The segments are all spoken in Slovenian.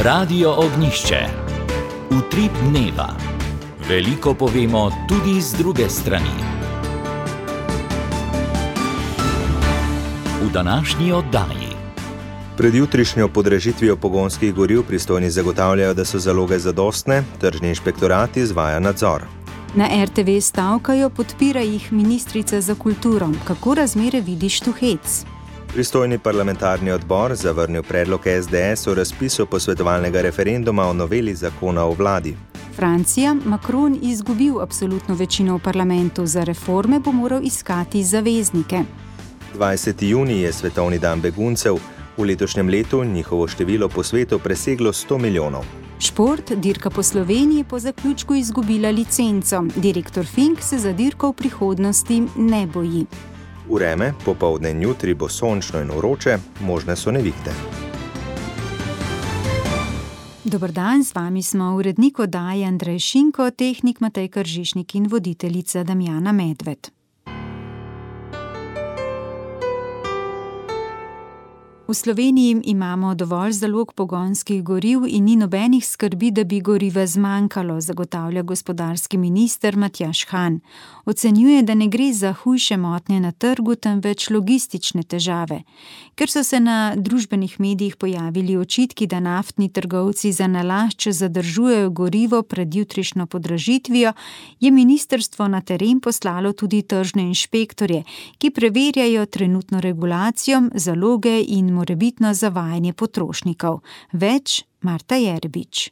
Radio Ognjišče. Utrip dneva. Veliko povemo tudi z druge strani. V današnji oddaji. Pred jutrišnjo podražitvijo pogonskih goriv pristojni zagotavljajo, da so zaloge zadostne, tržni inšpektorat izvaja nadzor. Na RTV stavkajo, podpira jih ministrica za kulturo. Kako razmere vidiš tu hec? Pristojni parlamentarni odbor zavrnil predlog SDS o razpisu posvetovalnega referenduma o noveli zakona o vladi. Francija, Macron izgubil absolutno večino v parlamentu, za reforme bo moral iskati zaveznike. 20. junij je svetovni dan beguncev. V letošnjem letu njihovo število po svetu preseglo 100 milijonov. Šport, dirka po Sloveniji po zaključku izgubila licenco. Direktor Fink se za dirko v prihodnosti ne boji. Vreme, popoldne in jutri bo sončno in vroče, možne so nevihte. Dober dan, z vami smo urednik oddaje Andrej Šinko, tehnik Matej Kržišnik in voditeljica Damjana Medved. V Sloveniji imamo dovolj zalog pogonskih goriv in ni nobenih skrbi, da bi goriva zmanjkalo, zagotavlja gospodarski minister Matjaž Han. Ocenjuje, da ne gre za hujše motnje na trgu, temveč logistične težave. Ker so se na družbenih medijih pojavili očitki, da naftni trgovci za nalašč zadržujejo gorivo pred jutrišnjo podražitvijo, je ministrstvo na teren poslalo tudi tržne inšpektorje, ki preverjajo trenutno regulacijo, zaloge in morebitno zavajanje potrošnikov. Več Marta Jerbič.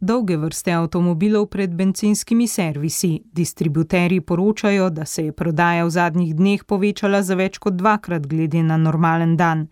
Dolge vrste avtomobilov pred bencinskimi servisi. Distributerji poročajo, da se je prodaja v zadnjih dneh povečala za več kot dvakrat glede na normalen dan.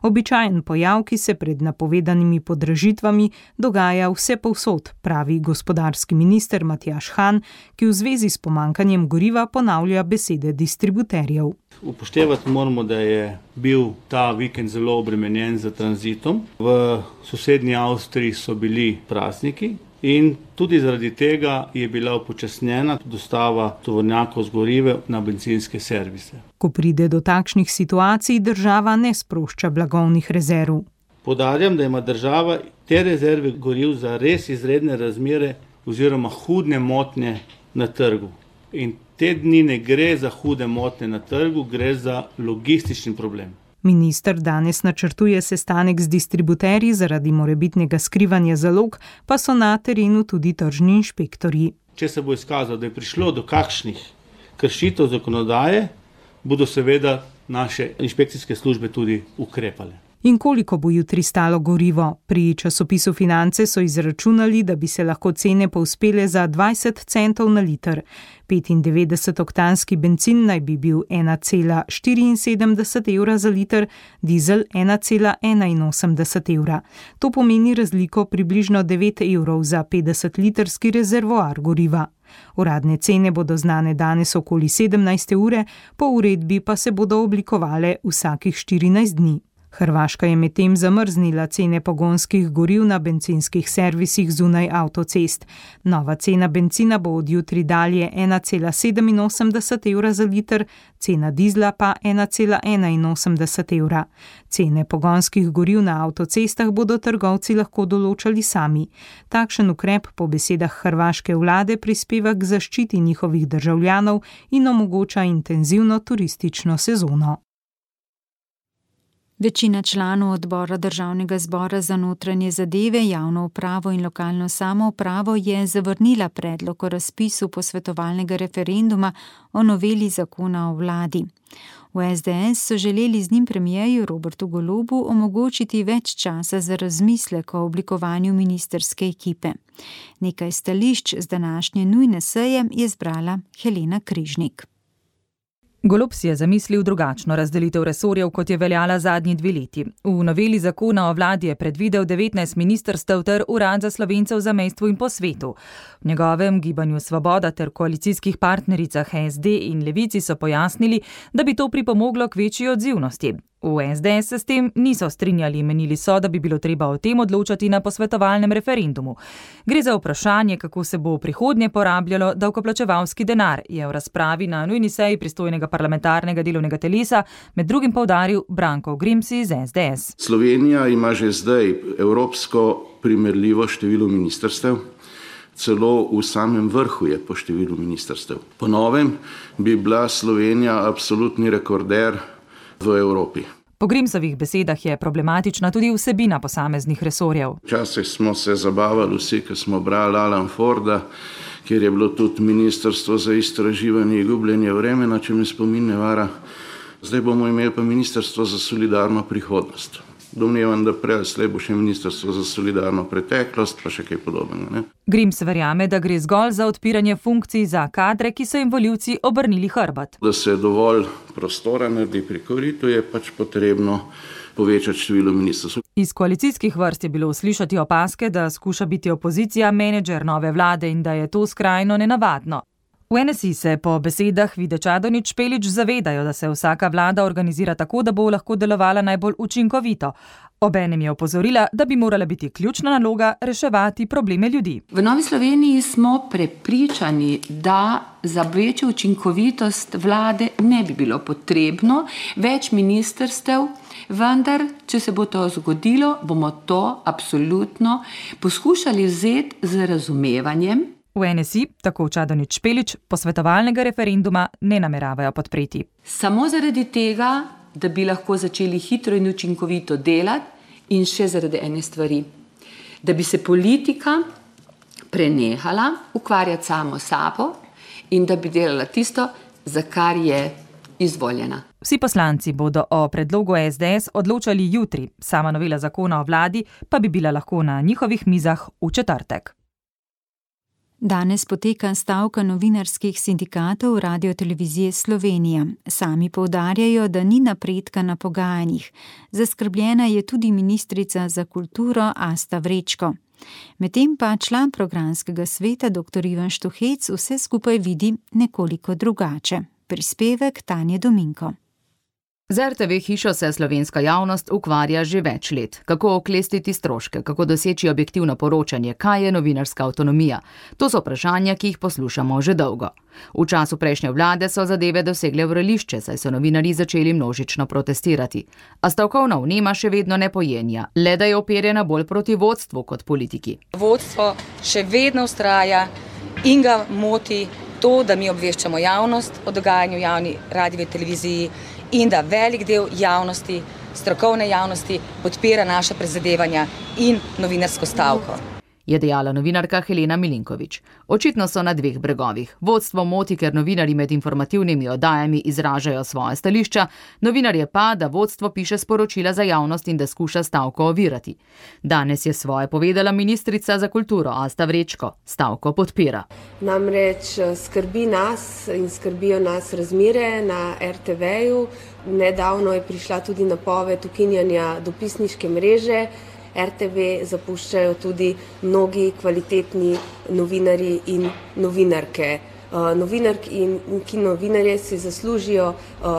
Običajen pojav, ki se pred napovedanimi podražitvami dogaja vse povsod, pravi gospodarski minister Matjaž Han, ki v zvezi s pomanjkanjem goriva ponavlja besede distributerjev. Upoštevati moramo, da je bil ta vikend zelo obremenjen z tranzitom. V sosednji Avstriji so bili prazniki in tudi zaradi tega je bila upočasnjena dostava tovornjakov z gorive na bencinske servise. Ko pride do takšnih situacij, država ne sprošča blagovnih rezerv. Poudarjam, da ima država te rezerve goriv za res izredne razmere oziroma hude motnje na trgu. In te dni ne gre za hude motnje na trgu, gre za logistični problem. Minister danes načrtuje sestanek z distributerji, zaradi morebitnega skrivanja zalog, pa so na terenu tudi tržni inšpektorji. Če se bo izkazalo, da je prišlo do kakšnih kršitev zakonodaje, bodo seveda naše inšpekcijske službe tudi ukrepale. In koliko bo jutri stalo gorivo? Pri časopisu Finance so izračunali, da bi se lahko cene povzpele za 20 centov na liter. 95-oktanski bencin naj bi bil 1,74 evra za liter, dizel 1,81 evra. To pomeni razliko približno 9 evrov za 50-litrski rezervoar goriva. Uradne cene bodo znane danes okoli 17 ure, po uredbi pa se bodo oblikovale vsakih 14 dni. Hrvaška je medtem zamrznila cene pogonskih goriv na bencinskih servisih zunaj avtocest. Nova cena bencina bo od jutri dalje 1,87 evra za liter, cena dizla pa 1,81 evra. Cene pogonskih goriv na avtocestah bodo trgovci lahko določali sami. Takšen ukrep po besedah hrvaške vlade prispeva k zaščiti njihovih državljanov in omogoča intenzivno turistično sezono. Večina članov odbora Državnega zbora za notranje zadeve, javno upravo in lokalno samoupravo je zavrnila predlog o razpisu posvetovalnega referenduma o noveli zakona o vladi. V SDS so želeli z njim premierju Robertu Golobu omogočiti več časa za razmislek o oblikovanju ministrske ekipe. Nekaj stališč z današnje nujne seje je zbrala Helena Križnik. Golob si je zamislil drugačno razdelitev resorjev, kot je veljala zadnji 2 leti. V noveli zakona o vladi je predvidel 19 ministrstev ter urad za Slovence v zamejstvu in po svetu. V njegovem Gibanju Svoboda ter koalicijskih partnericah SD in Levici so pojasnili, da bi to pripomoglo k večji odzivnosti. V SDS se s tem niso strinjali, menili so, da bi bilo treba o tem odločati na posvetovalnem referendumu. Gre za vprašanje, kako se bo v prihodnje porabljalo davkoplačevalski denar, je v razpravi na nujni seji pristojnega parlamentarnega delovnega telesa med drugim poudaril Branko Grimsi iz SDS. Slovenija ima že zdaj evropsko primerljivo število ministrstev. Celo v samem vrhu je po številu ministrstev. Po novem bi bila Slovenija absolutni rekorder v Evropi. Po Grimsovih besedah je problematična tudi vsebina posameznih resorjev. Včasih smo se zabavali vsi, ko smo brali Alan Forda, kjer je bilo tudi ministrstvo za istraživanje in gubljenje vremena, če me spomin ne vara. Zdaj bomo imeli pa ministrstvo za solidarno prihodnost. Domnevam, da prej slej bo še ministrstvo za solidarno preteklost, pa še kaj podobnega. Ne? Grims verjame, da gre zgolj za odpiranje funkcij za kadre, ki so jim volivci obrnili hrbet. Da se dovolj prostora naredi pri koritu, je pač potrebno povečati število ministrstv. Iz koalicijskih vrst je bilo slišati opaske, da skuša biti opozicija menedžer nove vlade in da je to skrajno nenavadno. V NSI se po besedah Vide Čadonič Špelič zavedajo, da se vsaka vlada organizira tako, da bo lahko delovala najbolj učinkovito. Obenem je opozorila, da bi morala biti ključna naloga reševati probleme ljudi. V Novi Sloveniji smo prepričani, da za večjo učinkovitost vlade ne bi bilo potrebno več ministrstev, vendar, če se bo to zgodilo, bomo to absolutno poskušali vzeti z razumevanjem. V NSI, tako Čadonič Špelič, posvetovalnega referenduma ne nameravajo podpreti. Samo zaradi tega, da bi lahko začeli hitro in učinkovito delati in še zaradi ene stvari. Da bi se politika prenehala ukvarjati samo sabo in da bi delala tisto, za kar je izvoljena. Vsi poslanci bodo o predlogu SDS odločali jutri, sama novela zakona o vladi pa bi bila lahko na njihovih mizah v četrtek. Danes poteka stavka novinarskih sindikatov Radiotelevizije Slovenija. Sami poudarjajo, da ni napredka na pogajanjih. Zaskrbljena je tudi ministrica za kulturo Asta Vrečko. Medtem pa član programskega sveta dr. Ivan Štuhec vse skupaj vidi nekoliko drugače. Prispevek Tanje Dominko. Z RTV hišo se slovenska javnost ukvarja že več let. Kako oklestiti stroške, kako doseči objektivno poročanje, kaj je novinarska avtonomija. To so vprašanja, ki jih poslušamo že dolgo. V času prejšnje vlade so zadeve dosegle vrelišče, saj so novinarji začeli množično protestirati. A stavkovna vnema še vedno ne pojenja, le da je operjena bolj proti vodstvu kot politiki. Vodstvo še vedno vztraja in ga moti to, da mi obveščamo javnost o dogajanju javni radiovi televiziji in da velik del javnosti, strokovne javnosti, podpira naša prizadevanja in novinarsko stavko. Je dejala novinarka Helena Milinković. Očitno so na dveh bregovih. Vodstvo moti, ker novinarji med informativnimi oddajami izražajo svoje stališča, novinarje pa, da vodstvo piše sporočila za javnost in da skuša stavko ovirati. Danes je svoje povedala ministrica za kulturo Asta Vrečko. Stavko podpira. Namreč skrbi nas in skrbijo nas razmere na RTV-ju. Nedavno je prišla tudi napoved ukinjanja dopisniške mreže. RTV zapuščajo tudi mnogi kvalitetni novinarji in novinarke. Novinarki in novinarje si zaslužijo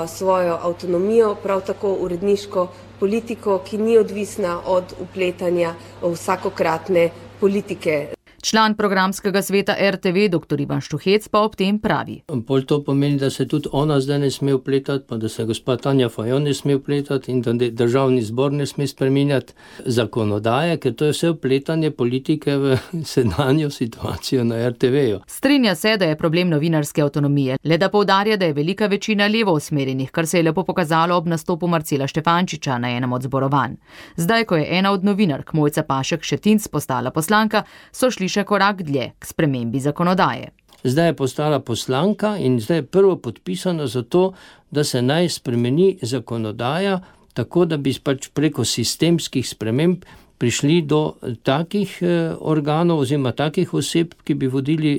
svojo avtonomijo, prav tako uredniško politiko, ki ni odvisna od vpletanja vsakokratne politike. Član programskega sveta RTV dr. Ivan Štuhec pa ob tem pravi. Pol to pomeni, da se tudi ona zdaj ne sme vpletati, pa da se gospa Tanja Fajon ne sme vpletati in da državni zbor ne sme spreminjati zakonodaje, ker to je vse vpletanje politike v sedanjo situacijo na RTV-ju. Strinja se, da je problem novinarske avtonomije, le da poudarja, da je velika večina levo usmerjenih, kar se je lepo pokazalo ob nastopu Marcela Štefančiča na enem od zborovanj. Zdaj, ko je ena od novinark, Mojca Pašek Šetinc, postala poslanka, so šli še korak dlje k spremembi zakonodaje. Zdaj je postala poslanka in zdaj je prvo podpisano za to, da se naj spremeni zakonodaja, tako da bi pač preko sistemskih sprememb prišli do takih organov oziroma takih oseb, ki bi vodili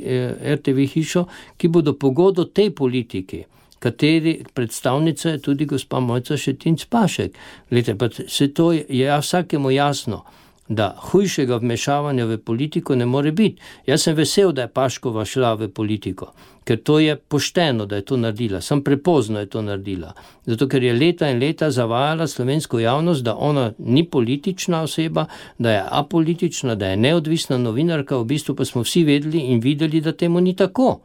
RTV hišo, ki bodo pogodo tej politiki, kateri predstavnica je tudi gospa Mojca Šetinc Pašek. Glede, pa se to je vsakemu jasno, da hujšega vmešavanja v politiko ne more biti. Jaz sem vesel, da je Paškova šla v politiko, ker to je pošteno, da je to naredila. Sam prepozno je to naredila. Zato, ker je leta in leta zavajala slovensko javnost, da ona ni politična oseba, da je apolitična, da je neodvisna novinarka, v bistvu pa smo vsi vedeli in videli, da temu ni tako.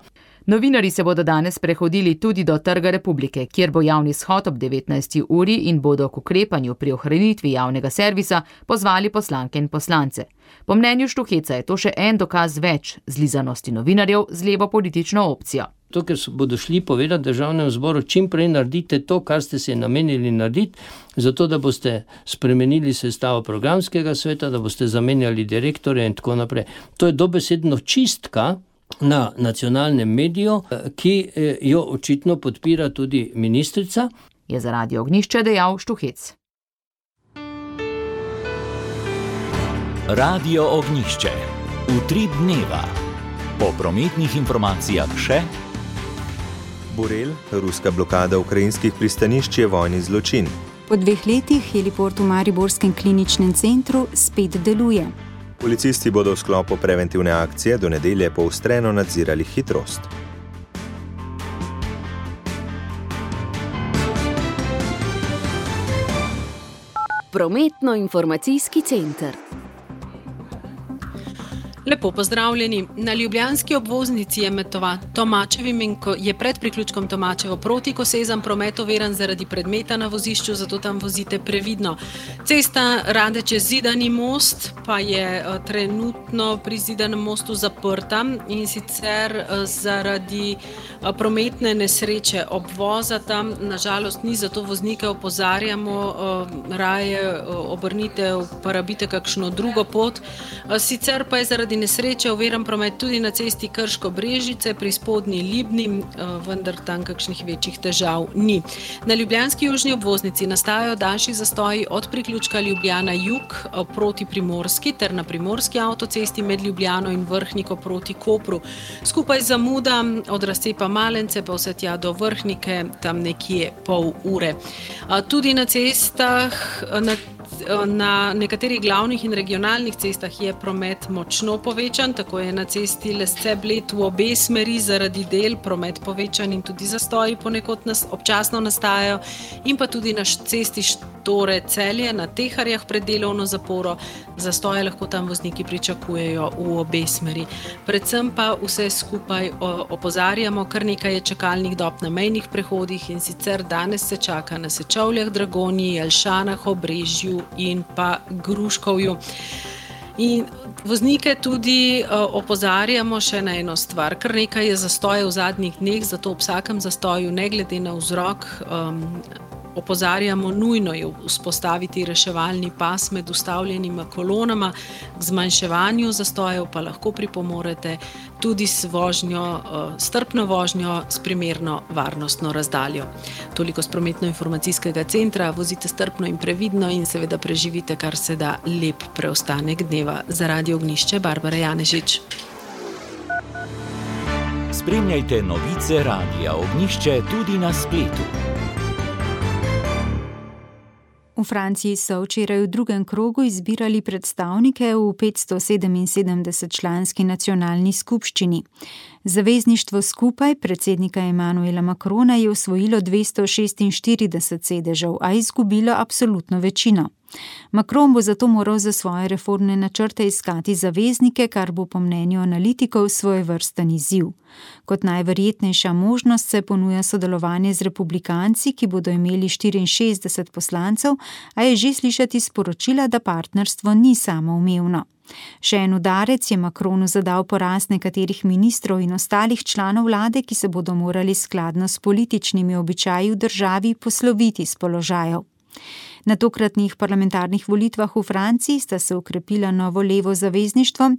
Novinarji se bodo danes prehodili tudi do Trga Republike, kjer bo javni shod ob 19. uri in bodo k ukrepanju pri ohranitvi javnega servisa pozvali poslanke in poslance. Po mnenju Štuheca je to še en dokaz več zlizanosti novinarjev z levo politično opcijo. To, ker bodo šli povedati Državnemu zboru, čim prej naredite to, kar ste se namenili narediti, zato da boste spremenili sestavo programskega sveta, da boste zamenjali direktorje in tako naprej. To je dobesedno čistka na nacionalnem mediju, ki jo očitno podpira tudi ministrica. Je za Radio Ognjišče dejal Štuhec. Radio Ognjišče. Utrip dneva. Po prometnih informacijah še Borel, ruska blokada ukrajinskih pristanišč je vojni zločin. Po 2 letih heliport v Mariborskem kliničnem centru spet deluje. Policisti bodo v sklopu preventivne akcije do nedelje poostreno nadzirali hitrost. Prometno-informacijski center. Lepo pozdravljeni. Na ljubljanski obvoznici je med Tomačevim in je pred priključkom Tomačevo proti Kosezam promet overen zaradi predmeta na vozišču, zato tam vozite previdno. Cesta Radeče-Zidani most pa je trenutno pri Zidanem mostu zaprta in sicer zaradi prometne nesreče obvoza tam. Nažalost ni, zato voznike opozarjamo, raje obrnite, uporabite kakšno drugo pot. Sicer pa je zaradi nesreče overen promet tudi na cesti Krško-Brežice pri Spodnji Libni, vendar tam kakšnih večjih težav ni. Na ljubljanski južni obvoznici nastajajo daljši zastoji od priključka Ljubljana jug proti Primorski ter na primorski avtocesti med Ljubljano in Vrhniko proti Kopru. Skupaj zamuda od razcepa Malence pa vse tja do Vrhnike, tam nekje pol ure. Tudi na cestah, na nekaterih glavnih in regionalnih cestah je promet močno povečan, tako je na cesti Lesce-Bled v obe smeri zaradi del promet povečan in tudi zastoji ponekod občasno nastajajo, in pa tudi na cesti Štore-Celje na Teharjah pred delovno zaporo. Zastoje lahko tam vozniki pričakujejo v obe smeri. Predvsem pa vse skupaj opozarjamo, kar nekaj je čakalnih dob na mejnih prehodih, in sicer danes se čaka na Sečovljah, Dragonji, Jelšanah, Obrežju in pa Gruškovju. In voznike tudi opozarjamo še na eno stvar. Kar nekaj je zastojev v zadnjih dneh, zato ob vsakem zastoju, ne glede na vzrok, opozarjamo, nujno je vzpostaviti reševalni pas med ustavljenima kolonama. K zmanjševanju zastojev pa lahko pripomorete tudi s vožnjo, strpno vožnjo s primerno varnostno razdaljo. Toliko s prometno-informacijskega centra, vozite strpno in previdno in seveda preživite kar se da lep preostanek dneva. Za Radio Ognjišče, Barbara Janežič. Spremljajte novice Radia Ognjišče tudi na spletu. V Franciji so včeraj v drugem krogu izbirali predstavnike v 577-članski nacionalni skupščini. Zavezništvo Skupaj predsednika Emmanuela Macrona je osvojilo 246 sedežev, a izgubilo absolutno večino. Macron bo zato moral za svoje reformne načrte iskati zaveznike, kar bo po mnenju analitikov svojevrsten izziv. Kot najverjetnejša možnost se ponuja sodelovanje z republikanci, ki bodo imeli 64 poslancev, a je že slišati sporočila, da partnerstvo ni samoumevno. Še en udarec je Macronu zadal poraz nekaterih ministrov in ostalih članov vlade, ki se bodo morali skladno s političnimi običaji v državi posloviti s položajev. Na tokratnih parlamentarnih volitvah v Franciji sta se ukrepila novo levo zavezništvo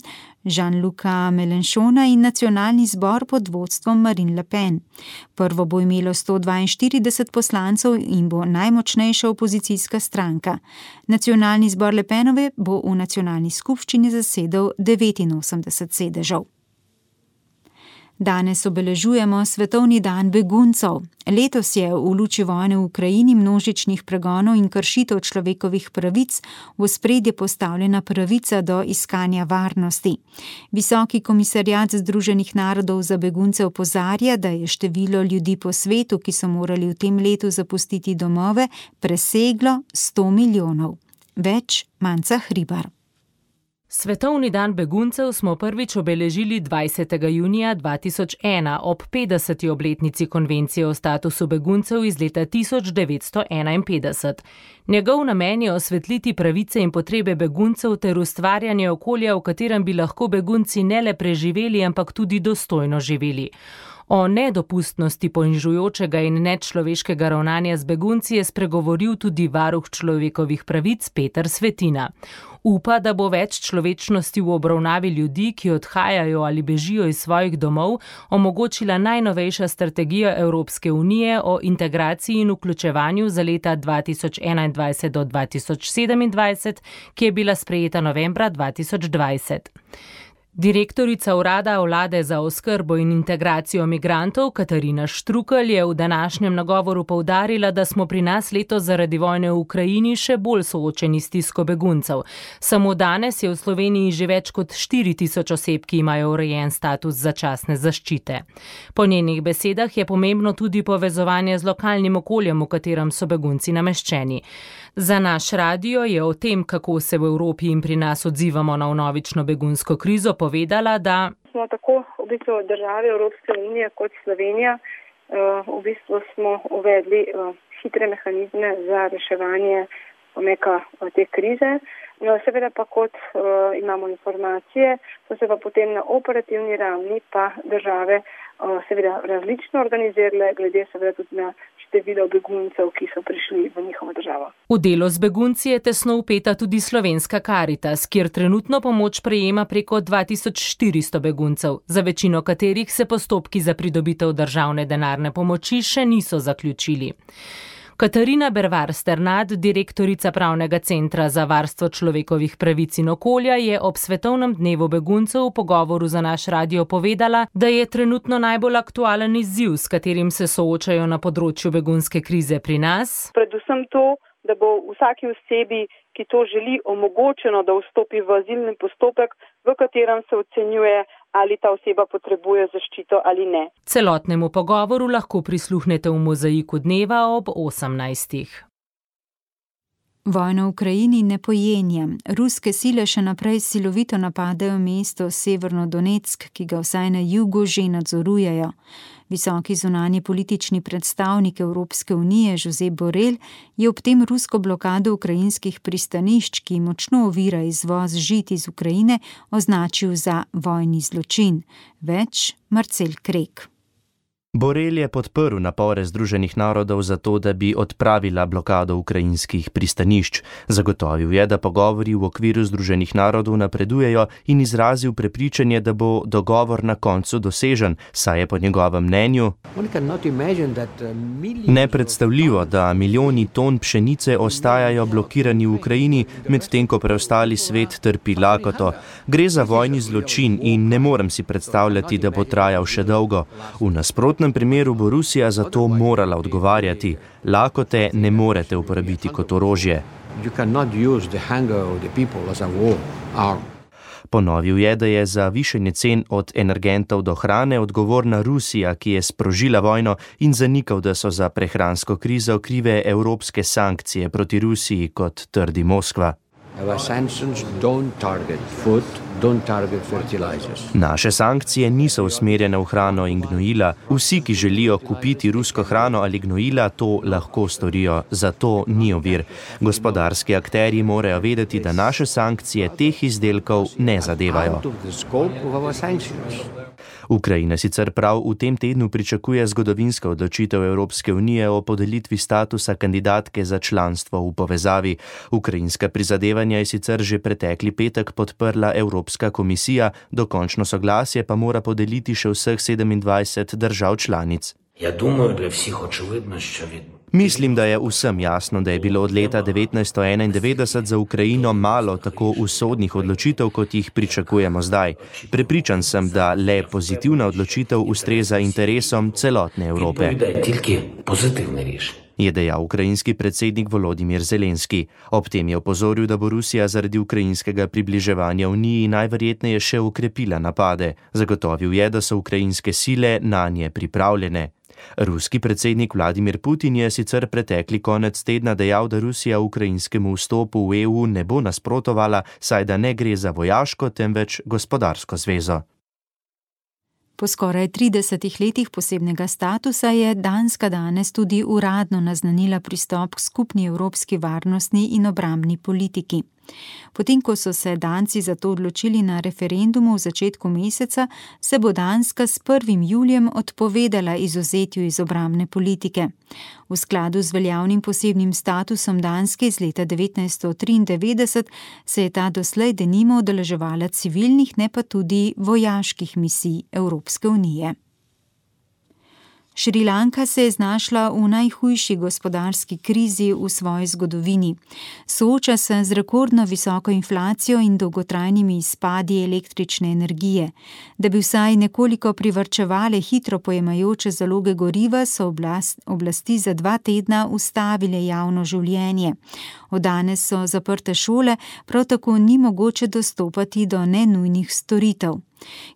Jean-Luca Mélenchona in nacionalni zbor pod vodstvom Marine Le Pen. Prvo bo imelo 142 poslancev in bo najmočnejša opozicijska stranka. Nacionalni zbor Le Penove bo v nacionalni skupščini zasedel 89 sedežev. Danes obeležujemo Svetovni dan beguncev. Letos je v luči vojne v Ukrajini, množičnih pregonov in kršitev človekovih pravic v ospredje postavljena pravica do iskanja varnosti. Visoki komisariat Združenih narodov za begunce opozarja, da je število ljudi po svetu, ki so morali v tem letu zapustiti domove, preseglo 100 milijonov. Več Manca Hribar. Svetovni dan beguncev smo prvič obeležili 20. junija 2001 ob 50. obletnici konvencije o statusu beguncev iz leta 1951. Njegov namen je osvetliti pravice in potrebe beguncev ter ustvarjanje okolja, v katerem bi lahko begunci ne le preživeli, ampak tudi dostojno živeli. O nedopustnosti ponižujočega in nečloveškega ravnanja z begunci je spregovoril tudi varuh človekovih pravic Peter Svetina. Upa, da bo več človečnosti v obravnavi ljudi, ki odhajajo ali bežijo iz svojih domov, omogočila najnovejša strategija Evropske unije o integraciji in vključevanju za leta 2021 do 2027, ki je bila sprejeta novembra 2020. Direktorica urada vlade za oskrbo in integracijo migrantov Katarina Štrukelj je v današnjem nagovoru poudarila, da smo pri nas letos zaradi vojne v Ukrajini še bolj soočeni s stisko beguncev. Samo danes je v Sloveniji že več kot 4000 oseb, ki imajo urejen status začasne zaščite. Po njenih besedah je pomembno tudi povezovanje z lokalnim okoljem, v katerem so begunci nameščeni. Za naš radio je o tem, kako se v Evropi in pri nas odzivamo na vnovično begunsko krizo, povedala, da smo tako v bistvu države Evropske unije kot Slovenija v bistvu smo uvedli hitre mehanizme za reševanje te krize. Seveda pa kot imamo informacije, so se pa potem na operativni ravni pa države seveda različno organizirale, glede seveda tudi na število beguncev, ki so prišli v njihovo državo. V delo z begunci je tesno vpeta tudi Slovenska Karitas, kjer trenutno pomoč prejema preko 2400 beguncev, za večino katerih se postopki za pridobitev državne denarne pomoči še niso zaključili. Katarina Bervar Sternad, direktorica Pravnega centra za varstvo človekovih pravic in okolja, je ob svetovnem dnevu beguncev v pogovoru za naš radio povedala, da je trenutno najbolj aktualen izziv, s katerim se soočajo na področju begunske krize pri nas. Predvsem to, da bo vsaki osebi, ki to želi, omogočeno, da vstopi v azilni postopek, v katerem se ocenjuje, ali ta oseba potrebuje zaščito ali ne. Celotnemu pogovoru lahko prisluhnete v Mozaiku dneva ob 18. Vojna v Ukrajini ne pojenja. Ruske sile še naprej silovito napadajo mesto Severno Donetsk, ki ga vsaj na jugu že nadzorujejo. Visoki zunanji politični predstavnik Evropske unije Josep Borrell je ob tem rusko blokado ukrajinskih pristanišč, ki močno ovira izvoz žit iz Ukrajine, označil za vojni zločin. Več Marcel Krek. Borrell je podprl napore Združenih narodov za to, da bi odpravila blokado ukrajinskih pristanišč. Zagotovil je, da pogovori v okviru Združenih narodov napredujejo in izrazil prepričanje, da bo dogovor na koncu dosežen, saj je po njegovem mnenju nepredstavljivo, da milijoni ton pšenice ostajajo blokirani v Ukrajini, medtem ko preostali svet trpi lakoto. Gre za vojni zločin in ne morem si predstavljati, da bo trajal še dolgo. V nasprotnem primeru bo Rusija za to morala odgovarjati. Lakote ne morete uporabiti kot orožje. Ponovil je, da je za višanje cen od energentov do hrane odgovorna Rusija, ki je sprožila vojno, in zanikal, da so za prehransko krizo krive evropske sankcije proti Rusiji, kot trdi Moskva. Naše sankcije niso usmerjene v hrano in gnojila. Vsi, ki želijo kupiti rusko hrano ali gnojila, to lahko storijo. Zato ni ovir. Gospodarski akterji morajo vedeti, da naše sankcije teh izdelkov ne zadevajo. Ukrajina sicer prav v tem tednu pričakuje zgodovinsko odločitev Evropske unije o podelitvi statusa kandidatke za članstvo v povezavi. Ukrajinska prizadevanja je sicer že pretekli petek podprla Evropska komisija, dokončno soglasje pa mora podeliti še vseh 27 držav članic. Mislim, da je vsem jasno, da je bilo od leta 1991 za Ukrajino malo tako usodnih odločitev, kot jih pričakujemo zdaj. Prepričan sem, da le pozitivna odločitev ustreza interesom celotne Evrope, je dejal ukrajinski predsednik Volodimir Zelenski. Ob tem je opozoril, da bo Rusija zaradi ukrajinskega približevanja Uniji najverjetneje še okrepila napade. Zagotovil je, da so ukrajinske sile nanje pripravljene. Ruski predsednik Vladimir Putin je sicer pretekli konec tedna dejal, da Rusija ukrajinskemu vstopu v EU ne bo nasprotovala, saj da ne gre za vojaško, temveč gospodarsko zvezo. Po skoraj 30 letih posebnega statusa je Danska danes tudi uradno naznanila pristop k skupni evropski varnostni in obrambni politiki. Potem, ko so se Danci za to odločili na referendumu v začetku meseca, se bo Danska s 1. julijem odpovedala izvzetju iz obrambne politike. V skladu z veljavnim posebnim statusom Danske iz leta 1993 se je ta doslej denimo udeleževala civilnih, ne pa tudi vojaških misij Evropske unije. Šrilanka se je znašla v najhujši gospodarski krizi v svoji zgodovini. Sooča se z rekordno visoko inflacijo in dolgotrajnimi izpadi električne energije. Da bi vsaj nekoliko privarčevale hitro pojemajoče zaloge goriva, so oblasti za 2 tedna ustavile javno življenje. Od danes so zaprte šole, prav tako ni mogoče dostopati do nenujnih storitev.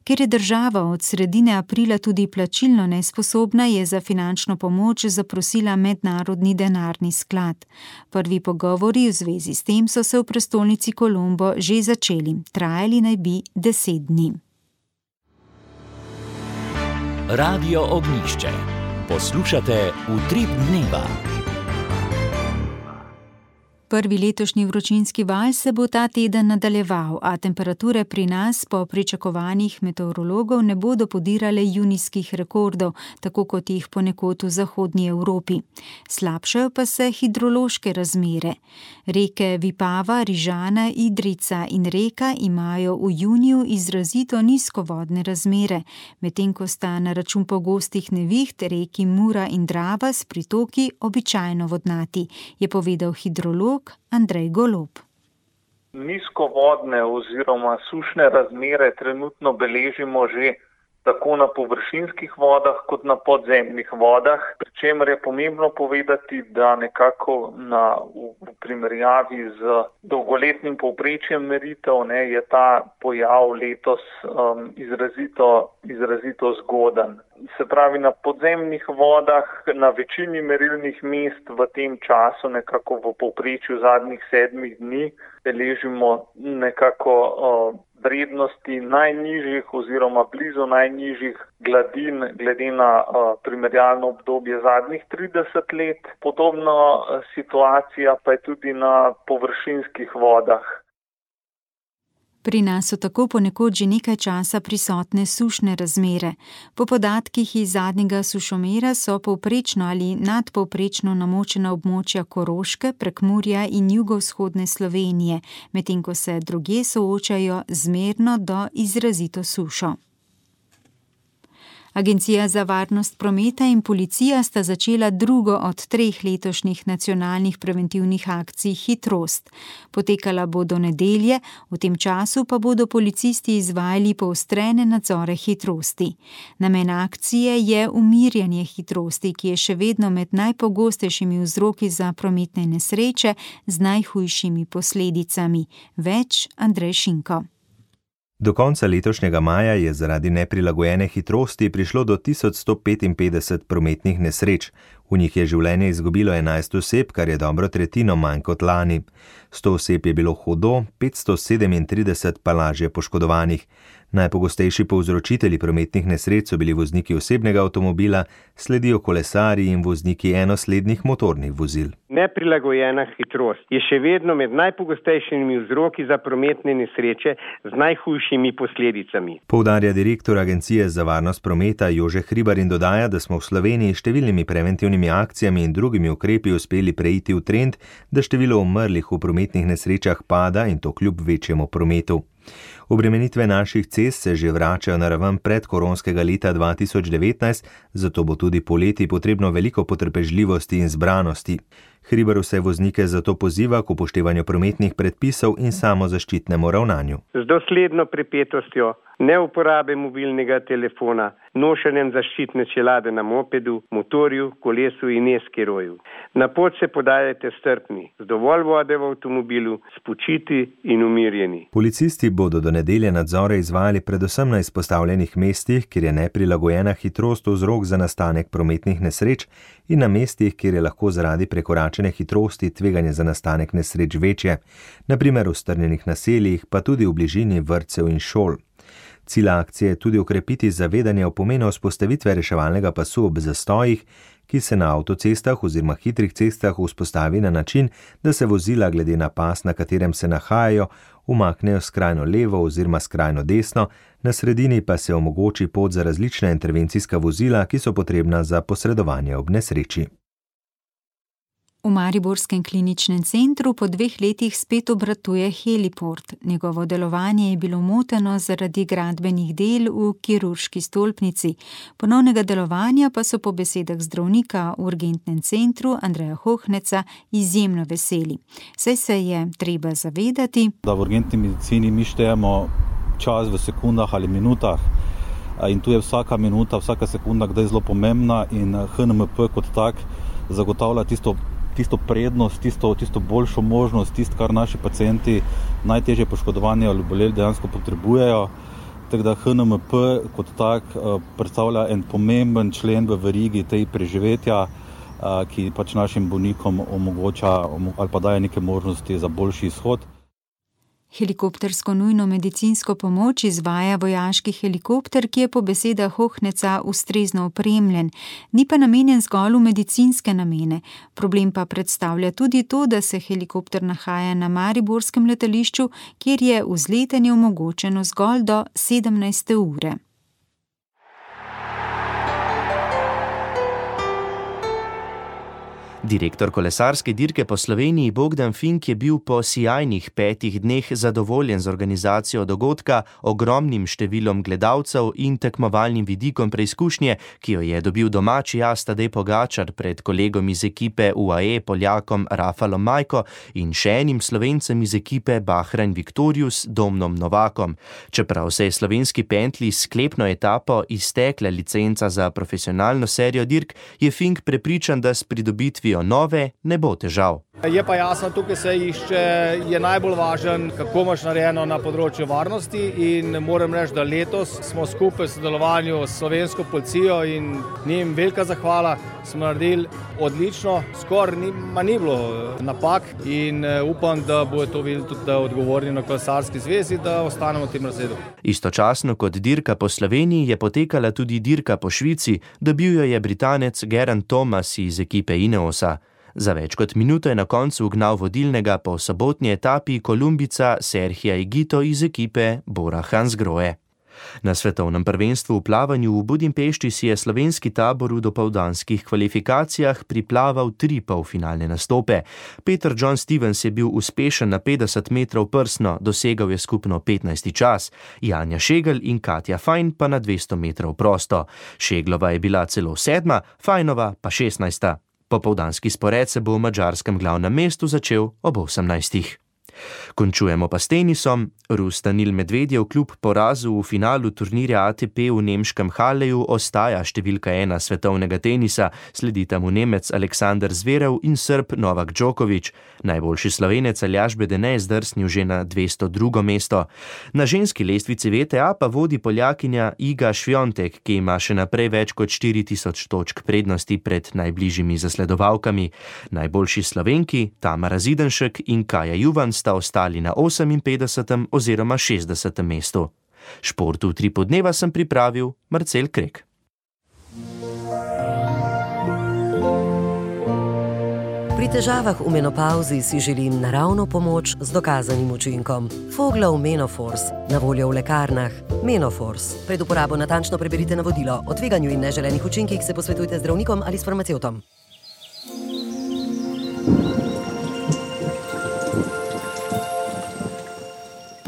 Ker je država od sredine aprila tudi plačilno nesposobna, je za finančno pomoč zaprosila Mednarodni denarni sklad. Prvi pogovori v zvezi s tem so se v prestolnici Kolombo že začeli. Trajali naj bi 10 dni. Radio Ognjišče. Poslušate Utrip dneva. Prvi letošnji vročinski val se bo ta teden nadaljeval, a temperature pri nas po pričakovanjih meteorologov ne bodo podirale junijskih rekordov, tako kot jih ponekod v zahodnji Evropi. Slabšajo pa se hidrološke razmere. Reke Vipava, Rižana, Idrijca in Reka imajo v juniju izrazito nizkovodne razmere, medtem ko sta na račun pogostih neviht reki Mura in Drava s pritoki običajno vodnati, je povedal hidrolog Andrej Golob. Nizkovodne oziroma sušne razmere trenutno beležimo že tako na površinskih vodah kot na podzemnih vodah, pri čemer je pomembno povedati, da nekako v primerjavi z dolgoletnim povprečjem meritev je ta pojav letos izrazito zgoden. Se pravi, na podzemnih vodah, na večini merilnih mest v tem času, nekako v povprečju zadnjih 7 dni, beležimo nekako vrednosti najnižjih oziroma blizu najnižjih gladin glede na primerjalno obdobje zadnjih 30 let. Podobna situacija pa je tudi na površinskih vodah. Pri nas so tako ponekod že nekaj časa prisotne sušne razmere. Po podatkih iz zadnjega sušomera so povprečno ali nadpovprečno namočena območja Koroške, Prekmurja in jugovzhodne Slovenije, medtem ko se drugje soočajo zmerno do izrazito sušo. Agencija za varnost prometa in policija sta začela drugo od 3 letošnjih nacionalnih preventivnih akcij Hitrost. Potekala bo do nedelje, v tem času pa bodo policisti izvajali poostrene nadzore hitrosti. Namen akcije je umirjanje hitrosti, ki je še vedno med najpogostejšimi vzroki za prometne nesreče z najhujšimi posledicami. Več Andrej Šinko. Do konca letošnjega maja je zaradi neprilagojene hitrosti prišlo do 1155 prometnih nesreč. V njih je življenje izgubilo 11 oseb, kar je dobro tretjino manj kot lani. 100 oseb je bilo hudo, 537 pa lažje poškodovanih. Najpogostejši povzročitelji prometnih nesreč so bili vozniki osebnega avtomobila, sledijo kolesarji in vozniki enoslednih motornih vozil. Neprilagojena hitrost je še vedno med najpogostejšimi vzroki za prometne nesreče z najhujšimi posledicami. Poudarja direktor Agencije za varnost prometa Jože Hribar in dodaja, da smo v Sloveniji številnimi preventivnimi akcijami in drugimi ukrepi uspeli preiti v trend, da število umrlih v prometnih nesrečah pada in to kljub večjemu prometu. Obremenitve naših cest se že vračajo na raven predkoronskega leta 2019, zato bo tudi poleti potrebno veliko potrpežljivosti in zbranosti. Hribar vse voznike zato poziva k upoštevanju prometnih predpisov in samozaščitnemu ravnanju. Z dosledno pripetostjo neuporabe mobilnega telefona, nošenjem zaščitne čelade na mopedu, motorju, kolesu in e-skiroju. Na pot se podajajte strpni, z dovolj vode v avtomobilu, spočiti in umirjeni. Policisti bodo do nedelje nadzore izvajali predvsem na izpostavljenih mestih, kjer je neprilagojena hitrost vzrok za nastanek prometnih nesreč in na mestih, kjer je lahko zaradi prekoračene hitrosti tveganje za nastanek nesreč večje, na primer v strnjenih naseljih, pa tudi v bližini vrtcev in šol. Cilj akcije je tudi okrepiti zavedanje o pomenu vzpostavitve reševalnega pasu ob zastojih, ki se na avtocestah oziroma hitrih cestah vzpostavi na način, da se vozila glede na pas, na katerem se nahajajo, umaknejo skrajno levo oziroma skrajno desno, na sredini pa se omogoči pot za različna intervencijska vozila, ki so potrebna za posredovanje ob nesreči. V mariborskem kliničnem centru po 2 letih spet obratuje heliport. Njegovo delovanje je bilo moteno zaradi gradbenih del v kirurški stolpnici. Ponovnega delovanja pa so po besedah zdravnika v urgentnem centru Andreja Hohneca izjemno veseli. Saj se je treba zavedati, da v urgentni medicini mi štejemo čas v sekundah ali minutah in tu je vsaka minuta, vsaka sekunda kdaj zelo pomembna in HNMP kot tak zagotavlja tisto prednost, tisto boljšo možnost, tisto, kar naši pacienti najtežje poškodovani ali oboleli dejansko potrebujejo. Tako da HNMP kot tak predstavlja en pomemben člen v verigi tej preživetja, ki pač našim bolnikom omogoča ali pa daje neke možnosti za boljši izhod. Helikoptersko nujno medicinsko pomoč izvaja vojaški helikopter, ki je po besedah Hohneca ustrezno opremljen, ni pa namenjen zgolj v medicinske namene. Problem pa predstavlja tudi to, da se helikopter nahaja na mariborskem letališču, kjer je vzletanje omogočeno zgolj do 17. ure. Direktor kolesarske dirke po Sloveniji Bogdan Fink je bil po sijajnih 5 dneh zadovoljen z organizacijo dogodka, ogromnim številom gledalcev in tekmovalnim vidikom preizkušnje, ki jo je dobil domači as Tadej Pogačar pred kolegom iz ekipe UAE Poljakom Rafalom Majko in še enim Slovencem iz ekipe Bahrain Victorious Domnom Novakom. Čeprav se je slovenski pentli s sklepno etapo iztekla licenca za profesionalno serijo dirk, je Fink prepričan, da s pridobitvijo nove ne bo težav. Je pa jasno, tukaj se išče, je najbolj važen, kako imaš narejeno na področju varnosti in moram reči, da letos smo skupaj v sodelovanju s slovensko policijo in njim velika zahvala, smo naredili odlično, skoraj ni bilo napak in upam, da bo to videli tudi odgovorni na kolesarski zvezi, da ostanemo v tem razredu. Istočasno kot dirka po Sloveniji je potekala tudi dirka po Švici, dobil jo je Britanec Geraint Thomas iz ekipe Ineosa. Za več kot minuto je na koncu ugnal vodilnega po sobotni etapi Kolumbica Serhija Higuito iz ekipe Bora Hansgrohe. Na svetovnem prvenstvu v plavanju v Budimpešti si je slovenski tabor v dopoldanskih kvalifikacijah priplaval 3 polfinalne nastope. Peter John Stevens je bil uspešen na 50 metrov prsno, dosegal je skupno 15. čas, Janja Šegel in Katja Fajn pa na 200 metrov prosto. Šeglova je bila celo 7., Fajnova pa 16. Popoldanski spored se bo v madžarskem glavnem mestu začel ob 18. Končujemo pa s tenisom. Rus Danil Medvedjev kljub porazu v finalu turnirja ATP v nemškem Halleju ostaja številka 1 svetovnega tenisa, sledita mu Nemec Aleksander Zverev in Srb Novak Djokovic. Najboljši Slovenec Aljaž Bedene je zdrsnil že na 202. mesto. Na ženski lestvici VTA pa vodi Poljakinja Iga Swiatek, ki ima še naprej več kot 4000 točk prednosti pred najbližjimi zasledovalkami. Najboljši Slovenki Tamara Zidenšek in Kaja Juvan sta ostali na 58. oziroma 60. mestu. Šport v 3 podneva sem pripravil Marcel Krek. Pri težavah v menopauzi si želim naravno pomoč z dokazanim učinkom. Foglov Menoforce, na voljo v lekarnah. Menoforce. Pred uporabo natančno preberite navodilo. O tveganju in neželenih učinkih se posvetujte z zdravnikom ali s farmacevtom.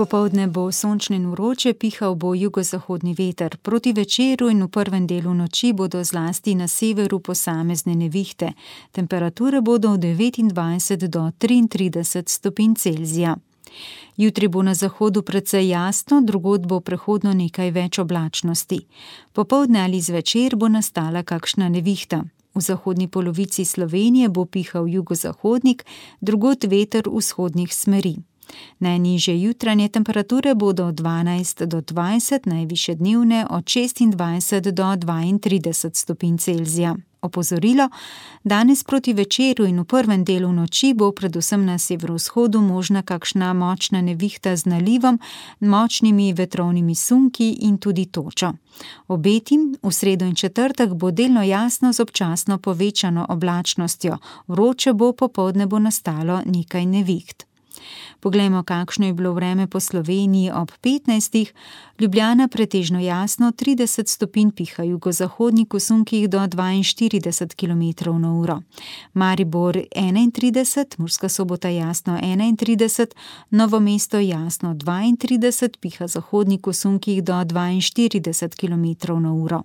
Popoldne bo sončno in vroče, pihal bo jugozahodni veter. Proti večeru in v prvem delu noči bodo zlasti na severu posamezne nevihte. Temperature bodo od 29 do 33 stopinj Celzija. Jutri bo na zahodu precej jasno, drugod bo prehodno nekaj več oblačnosti. Popoldne ali zvečer bo nastala kakšna nevihta. V zahodni polovici Slovenije bo pihal jugozahodnik, drugod veter vzhodnih smeri. Najnižje jutranje temperature bodo od 12 do 20, najvišje dnevne od 26 do 32 stopinj Celzija. Opozorilo, danes proti večeru in v prvem delu noči bo predvsem na severovzhodu možna kakšna močna nevihta z nalivom, močnimi vetrovnimi sunki in tudi točo. Obetim, v sredo in četrtek bo delno jasno z občasno povečano oblačnostjo, vroče bo, popoldne bo nastalo nekaj neviht. Poglejmo, kakšno je bilo vreme po Sloveniji ob 15. Ljubljana pretežno jasno, 30 stopinj, piha jugozahodnik v sunkih do 42 km/h. Maribor 31, Murska Sobota jasno 31, Novo mesto jasno 32, piha zahodnik v sunkih do 42 km/h.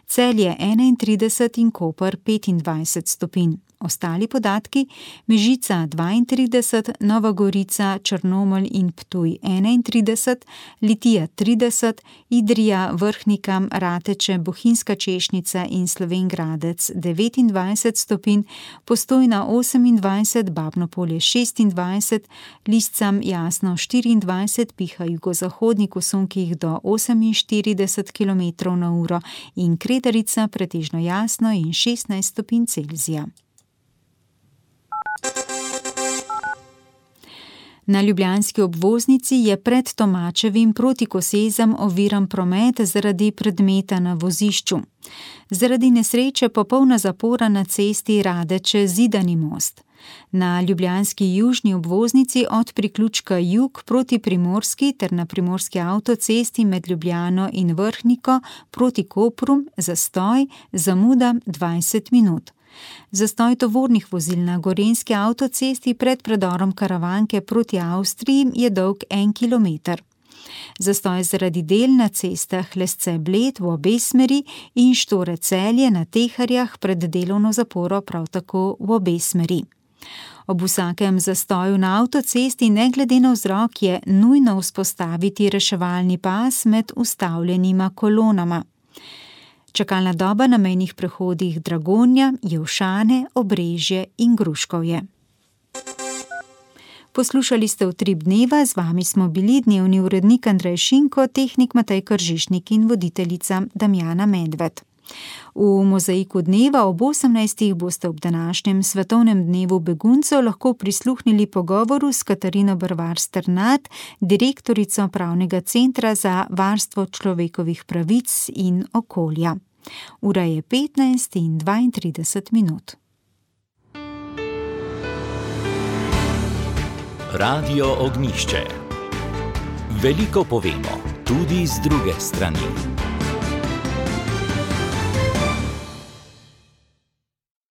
Celje 31 in Koper 25 stopinj. Ostali podatki: Mežica 32, Nova Gorica, Črnomelj in Ptuj 31, Litija 30, Idrija, Vrhnika, Rateče, Bohinjska Češnica in Slovenj Gradec 29 stopinj, Postojna 28, Babno Polje 26, Liscam jasno 24, piha jugozahodnik v sunkih do 48 km/h in Kredarica pretežno jasno in 16 stopinj Celzija. Na ljubljanski obvoznici je pred Tomačevim proti Kosezam oviran promet zaradi predmeta na vozišču. Zaradi nesreče popolna zapora na cesti Radeče-Zidani most. Na ljubljanski južni obvoznici od priključka Jug proti Primorski ter na primorski avtocesti med Ljubljano in Vrhniko proti Kopru zastoj, zamuda 20 minut. Zastoj tovornih vozil na gorenjski avtocesti pred predorom Karavanke proti Avstriji je dolg 1 kilometer. Zastoj zaradi del na cestah Lesce-Bled v obe smeri in Štore-Celje na Teharjah pred delovno zaporo prav tako v obe smeri. Ob vsakem zastoju na avtocesti ne glede na vzrok je nujno vzpostaviti reševalni pas med ustavljenima kolonama. Čakalna doba na mejnih prehodih Dragonja, Jelšane, Obrežje in Gruškovje. Poslušali ste Utrip dneva, z vami smo bili dnevni urednik Andrej Šinko, tehnik Matej Kržišnik in voditeljica Damjana Medved. V Mozaiku dneva ob 18. boste ob današnjem svetovnem dnevu beguncev lahko prisluhnili pogovoru s Katarino Brvar Strnad, direktorico Pravnega centra za varstvo človekovih pravic in okolja. Ura je 15:32. Radio Ognjišče. Veliko povemo, tudi z druge strani.